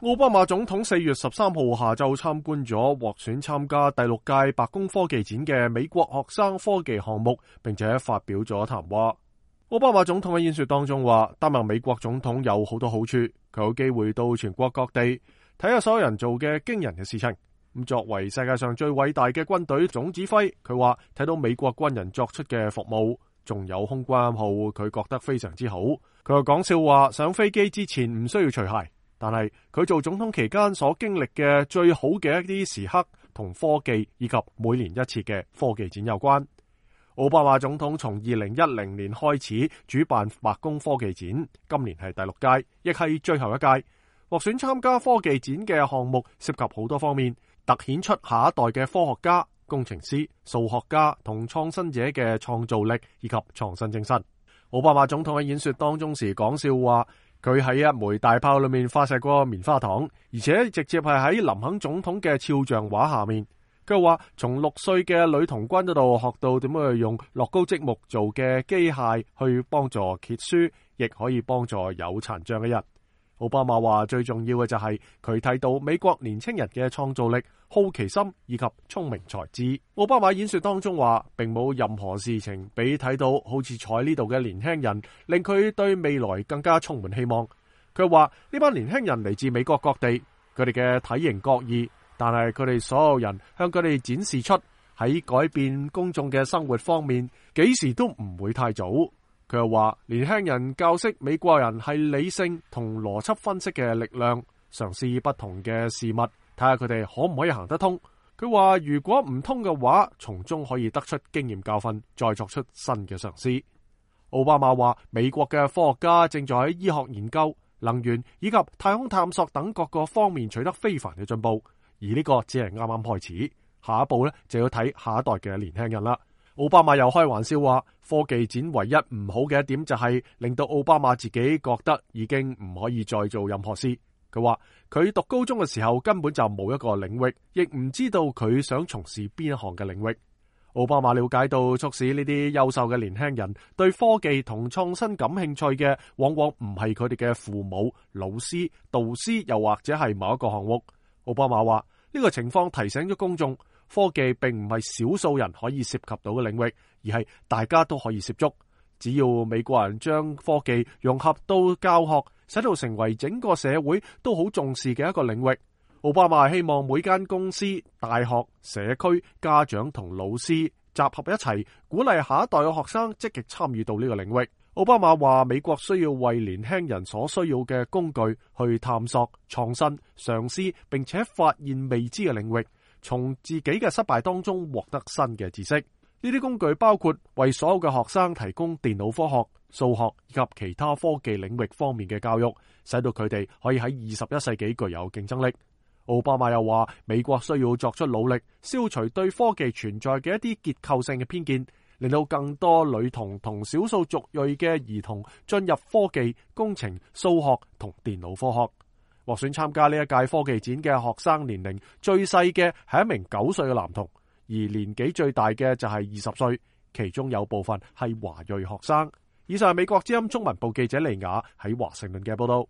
奧巴馬總統4月13號下晝參觀咗獲選參加第6屆白宮科技展嘅美國學生科技項目，並且發表咗談話。奧巴馬總統喺演說當中話，擔任美國總統有好多好處，佢有機會到全國各地睇下所有人做嘅驚人嘅事情。咁作為世界上最偉大嘅軍隊總指揮，佢話睇到美國軍人作出嘅服務，仲有空軍號，佢覺得非常之好。佢又講笑話，上飛機之前唔需要除鞋。但係佢做總統期間所經歷嘅最好嘅一啲時刻，同科技以及每年一次嘅科技展有關。奧巴馬總統從2010年開始主辦白宮科技展，今年係第6屆，亦係最後一屆。獲選參加科技展嘅項目涉及好多方面，凸顯出下一代嘅科學家、工程師、數學家同創新者嘅創造力以及創新精神。奧巴馬總統喺演說當中時講笑話，佢喺一枚大炮裏面發射過棉花糖，而且直接係喺林肯總統嘅肖像畫下面。佢話從6歲嘅女童軍嗰度學到點樣去用樂高積木做嘅機械去幫助揭書，亦可以幫助有殘障嘅人。奧巴馬話最重要嘅就係佢睇到美國年輕人嘅創造力、好奇心以及聰明才智。奧巴馬演說當中話，並冇任何事情比睇到好似坐喺呢度嘅年輕人，令佢對未來更加充滿希望。佢話呢班年輕人嚟自美國各地，佢哋嘅體型各異，但係佢哋所有人向佢哋展示出喺改變公眾嘅生活方面，幾時都唔會太早。佢又話年輕人教識美國人係理性同邏輯分析嘅力量，嘗試不同嘅事物，睇下佢哋可唔可以行得通。佢話如果唔通嘅話，從中可以得出經驗教訓，再作出新嘅嘗試。奧巴馬話美國嘅科學家正在喺醫學研究、能源以及太空探索等各個方面取得非凡嘅進步，而呢個只係啱啱開始，下一步呢就要睇下一代嘅年輕人啦。奧巴馬又開玩笑話，科技展唯一唔好嘅一點就係令到奧巴馬自己覺得已經唔可以再做任何事。佢話佢讀高中嘅時候根本就冇一個領域，亦唔知道佢想從事邊一項嘅領域。奧巴馬了解到促使呢啲優秀嘅年輕人對科技同創新感興趣嘅，往往唔係佢哋嘅父母、老師、導師，又或者係某一個項目。奧巴馬話呢個情況提醒咗公眾，科技並唔係少數人可以涉及到嘅領域，而係大家都可以涉足。只要美國人將科技融合到教學，使到成為整個社會都好重視嘅一個領域。奧巴馬希望每間公司、大學、社區、家長同老師集合一齊，鼓勵下一代嘅學生積極參與到呢個領域。奧巴馬話美國需要為年輕人所需要嘅工具去探索、創新、嘗試，並且發現未知嘅領域，從自己嘅失敗當中獲得新嘅知識。呢啲工具包括為所有嘅學生提供電腦科學、數學以及其他科技領域方面嘅教育，使到佢哋可以喺21世紀具有競爭力。奧巴馬又話美國需要作出努力，消除對科技存在嘅一啲結構性嘅偏見，令到更多女童同少數族裔嘅兒童進入科技、工程、數學同電腦科學。獲選參加呢一屆科技展嘅學生年齡最細嘅係一名9歲嘅男童，而年紀最大嘅就係20歲，其中有部分係華裔學生。以上係美國之音中文部記者利雅喺華盛頓嘅報道。